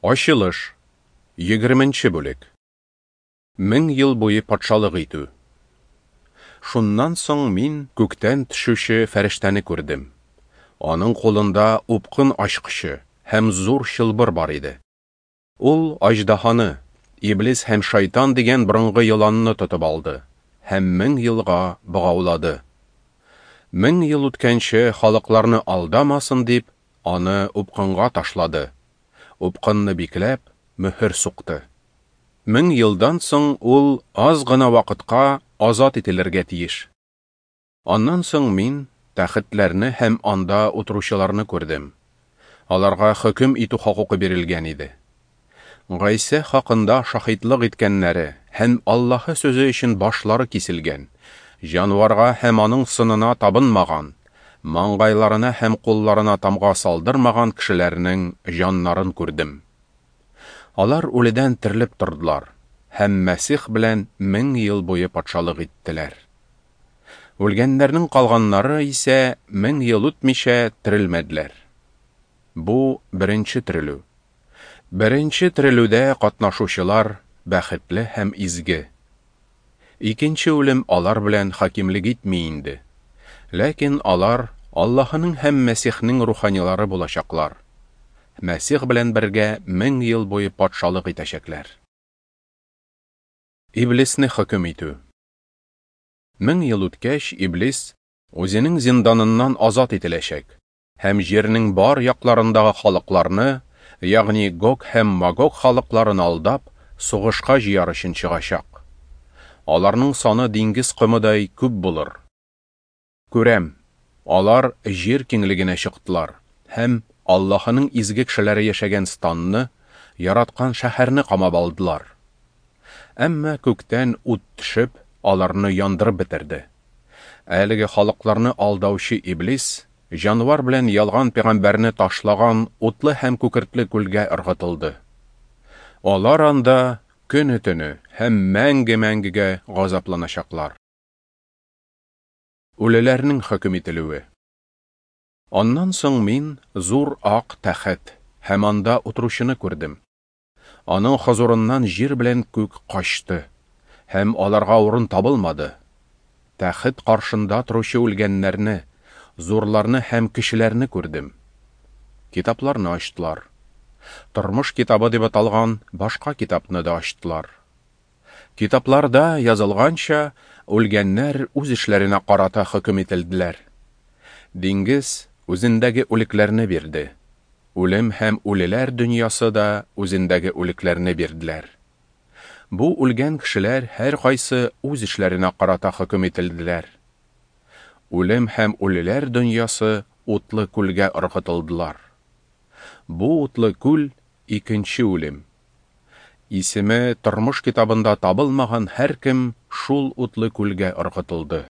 Ачылыш, егерменче бүлек. 1000 ел буе патшалык итү. Шуннан соң мин күктән төшүче фәрештәне күрдем. Аның кулында упкын ачкычы һәм зур чылбыр бар иде. Ул аҗдаһаны, Иблис һәм Шайтан дигән борынгы еланны тотып алды һәм 1000 елга богаулады. 1000 ел үткәнче халыкларны алдамасын дип, аны упкынга ташлады. Упкынны бикләп, мөһер сукты. 1000 елдан соң ул аз гына вакытка азат ителергә тиеш. Аннан соң мин тәхетләрне һәм анда утыручыларны күрдем. Аларга хөкем итү хокукы бирелгән иде. Гайсә хакында шаһитлык иткәннәре һәм Аллаһы сүзе өчен башлары киселгән, җанварга һәм аның сынына табынмаган, маңгайларына һәм кулларына тамга салдырмаган кешеләрнең җаннарын күрдем. Алар үледән терелеп тордылар һәм Мәсих белән 1000 ел буе патшалык иттеләр. Үлгәннәрнең калганнары исә 1000 ел үтмичә терелмәделәр. Бу беренче терелү. Беренче терелүдә катнашучылар бәхетле һәм изге. Икенче үлем алар белән хакимлек итми инде. Ләкин алар Аллаһының һәм Мәсихнең руханилары булачаклар. Мәсих белән бергә 1000 ел буе патшалык итәчәкләр. Иблисне хөкем итү. 1000 ел үткәч, Иблис үзенең зинданыннан азат ителәчәк һәм җирнең бар якларындагы халыкларны, ягъни Гог һәм Магог халыкларын алдап, сугышка җыяр өчен чыгачак. Аларның саны диңгез комыдай күп булыр. Күрәм, алар җир киңлегенә чыктылар һәм Аллаһының изге кешеләре яшәгән станны, яраткан шәһәрне камап алдылар. Әмма күктән ут төшеп, аларны яндырып бетерде. Әлеге халыкларны алдаучы Иблис җанвар белән ялган пәйгамбәрне ташлаган утлы һәм күкертле күлгә ыргытылды. Алар анда көне-төне һәм мәңге-мәңгегә газапланачаклар. Үлеләрнең хөкем ителүе. Аннан соң мин зур ак тәхет һәм анда утыручыны күрдем. Аның хозурыннан җир белән күк качты, һәм аларга урын табылмады. Тәхет каршында торучы үлгәннәрне, зурларны һәм кешеләрне күрдем. Китапларны ачтылар. Тормыш китабы дип аталган башка китапны да ачтылар. Китапларда язылганча, үлгәннәр үз эшләренә карата хөкем ителделәр. Диңгез үзендәге үлекләрне бирде. Үлем һәм үлеләр дөньясы да үзендәге үлекләрне бирделәр. Бу үлгән кешеләр һәр кайсы үз эшләренә карата хөкем ителделәр. Үлем һәм үлеләр дөньясы утлы күлгә ыргытылдылар. Бу утлы күл икенче үлем. Исеме тормыш китабында табылмаган һәркем шул утлы күлгә ыргытылды.